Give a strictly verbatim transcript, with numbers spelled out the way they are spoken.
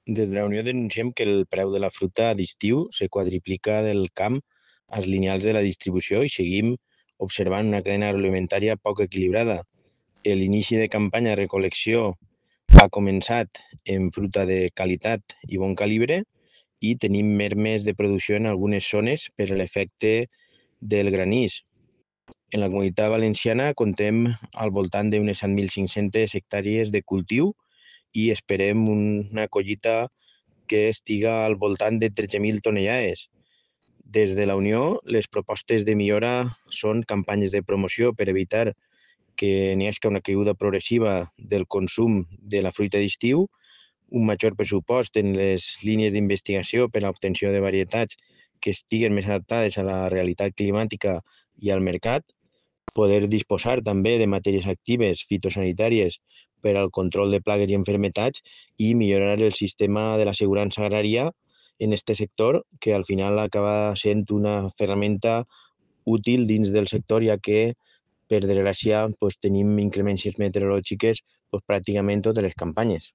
Des de la Unió denunciem que el preu de la fruita d'estiu se quadriplica del camp als lineals de la distribució i seguim observant una cadena agroalimentària poc equilibrada. L'inici de campanya de recol·lecció ha començat en fruita de qualitat i bon calibre i tenim mermes de producció en algunes zones per l'efecte del granís. En la Comunitat Valenciana contem al voltant d'unes set mil cinc-centes hectàrees de cultiu i esperem una collita que estiga al voltant de tretze mil tonelades. Des de la Unió, les propostes de millora són campanyes de promoció per evitar que n'hi hagi una caiguda progressiva del consum de la fruita d'estiu, un major pressupost en les línies d'investigació per a l'obtenció de varietats que estiguen més adaptades a la realitat climàtica i al mercat, poder disposar també de matèries actives fitosanitàries per al control de plagues i enfermetats i millorar el sistema de l'assegurança agrària en este sector, que al final acaba sent una ferramenta útil dins del sector, ja que, per desgràcia, pues, tenim inclemències meteorològiques pues, pràcticament totes les campanyes.